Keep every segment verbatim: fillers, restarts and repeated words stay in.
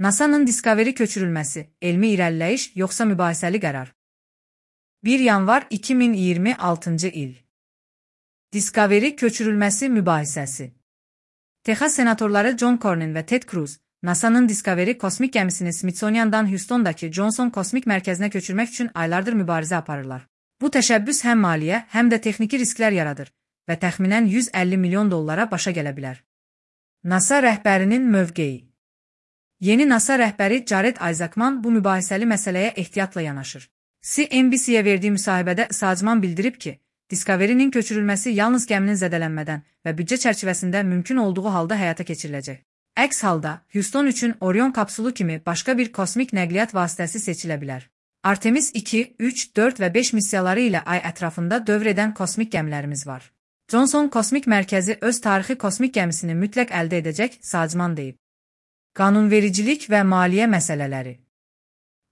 NASA'nın Discovery köçürülməsi, elmi irəliləyiş yoxsa mübahisəli qərar? bir yanvar iki min iyirmi altıncı il. Discovery köçürülməsi mübahisəsi. Texas senatorları John Cornyn və Ted Cruz, NASA'nın Discovery kosmik gəmisini Smithsonian'dan Houston'dakı Johnson kosmik mərkəzinə köçürmək üçün aylardır mübarizə aparırlar. Bu təşəbbüs həm maliyyə, həm də texniki risklər yaradır və təxminən yüz əlli milyon dollara başa gələ bilər. NASA rəhbərinin mövqeyi. Yeni NASA rəhbəri Jared Isaacman bu mübahisəli məsələyə ehtiyatla yanaşır. C N B C-yə verdiyi müsahibədə Isaacman bildirib ki, Discovery-nin köçürülməsi yalnız gəminin zədələnmədən və büdcə çərçivəsində mümkün olduğu halda həyata keçiriləcək. Əks halda, Houston üçün Orion kapsulu kimi başqa bir kosmik nəqliyyat vasitəsi seçilə bilər. Artemis iki, üç, dörd və beş missiyaları ilə ay ətrafında dövr edən kosmik gəmilərimiz var. Johnson kosmik mərkəzi öz tarixi kosmik gəmisini mütləq əldə edəcək, Isaacman deyib. Qanunvericilik və maliyyə məsələləri.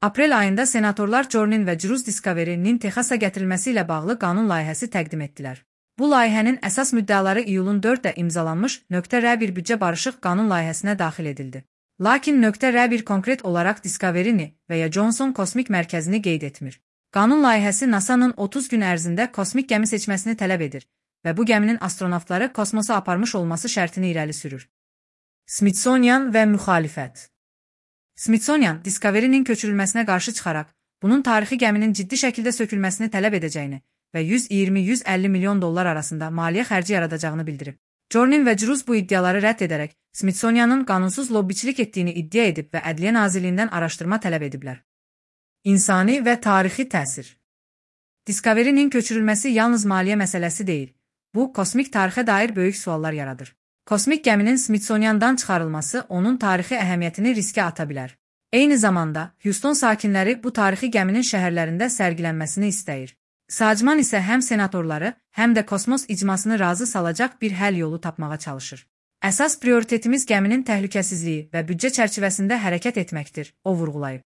Aprel ayında senatorlar Cornyn və Cruz Discovery-nin Texasa gətirilməsi ilə bağlı qanun layihəsi təqdim etdilər. Bu layihənin əsas müddəaları iyulun dördündə imzalanmış .R bir büdcə barışıq qanun layihəsinə daxil edildi. Lakin .R bir konkret olaraq Discovery-ni və ya Johnson kosmik mərkəzini qeyd etmir. Qanun layihəsi NASA'nın otuz gün ərzində kosmik gəmi seçməsini tələb edir və bu gəminin astronavtları kosmosa aparmış olması şərtini irəli sürür. Smithsonian və müxalifət. Smithsonian, Discovery-nin köçürülməsinə qarşı çıxaraq, bunun tarixi gəminin ciddi şəkildə sökülməsini tələb edəcəyini və yüz iyirmi yüz əlli milyon dollar arasında maliyyə xərci yaradacağını bildirib. Cornyn və Cruz bu iddiaları rədd edərək, Smithsonian'ın qanunsuz lobbiçilik etdiyini iddia edib və Ədliyyə Nazirliyindən araşdırma tələb ediblər. İnsani və tarixi təsir. Discovery-nin köçürülməsi yalnız maliyyə məsələsi deyil, bu, kosmik tarixə dair böyük suallar yaradır. Kosmik gəminin Smithsonian'dan çıxarılması onun tarixi əhəmiyyətini riskə ata bilər. Eyni zamanda, Houston sakinləri bu tarixi gəminin şəhərlərində sərgilənməsini istəyir. Isaacman isə həm senatorları, həm də kosmos icmasını razı salacaq bir həll yolu tapmağa çalışır. Əsas prioritetimiz gəminin təhlükəsizliyi və büdcə çərçivəsində hərəkət etməkdir, o vurğulayıb.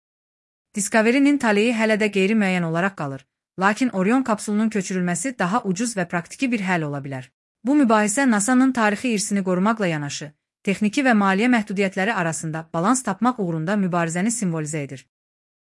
Discovery-nin taleyi hələ də qeyri-müəyyən olaraq qalır, lakin Orion kapsulunun köçürülməsi daha ucuz və praktiki bir həll ola bilər. Bu mübahisə NASA'nın tarixi irsini qorumaqla yanaşı, texniki və maliyyə məhdudiyyətləri arasında balans tapmaq uğrunda mübarizəni simvolizə edir.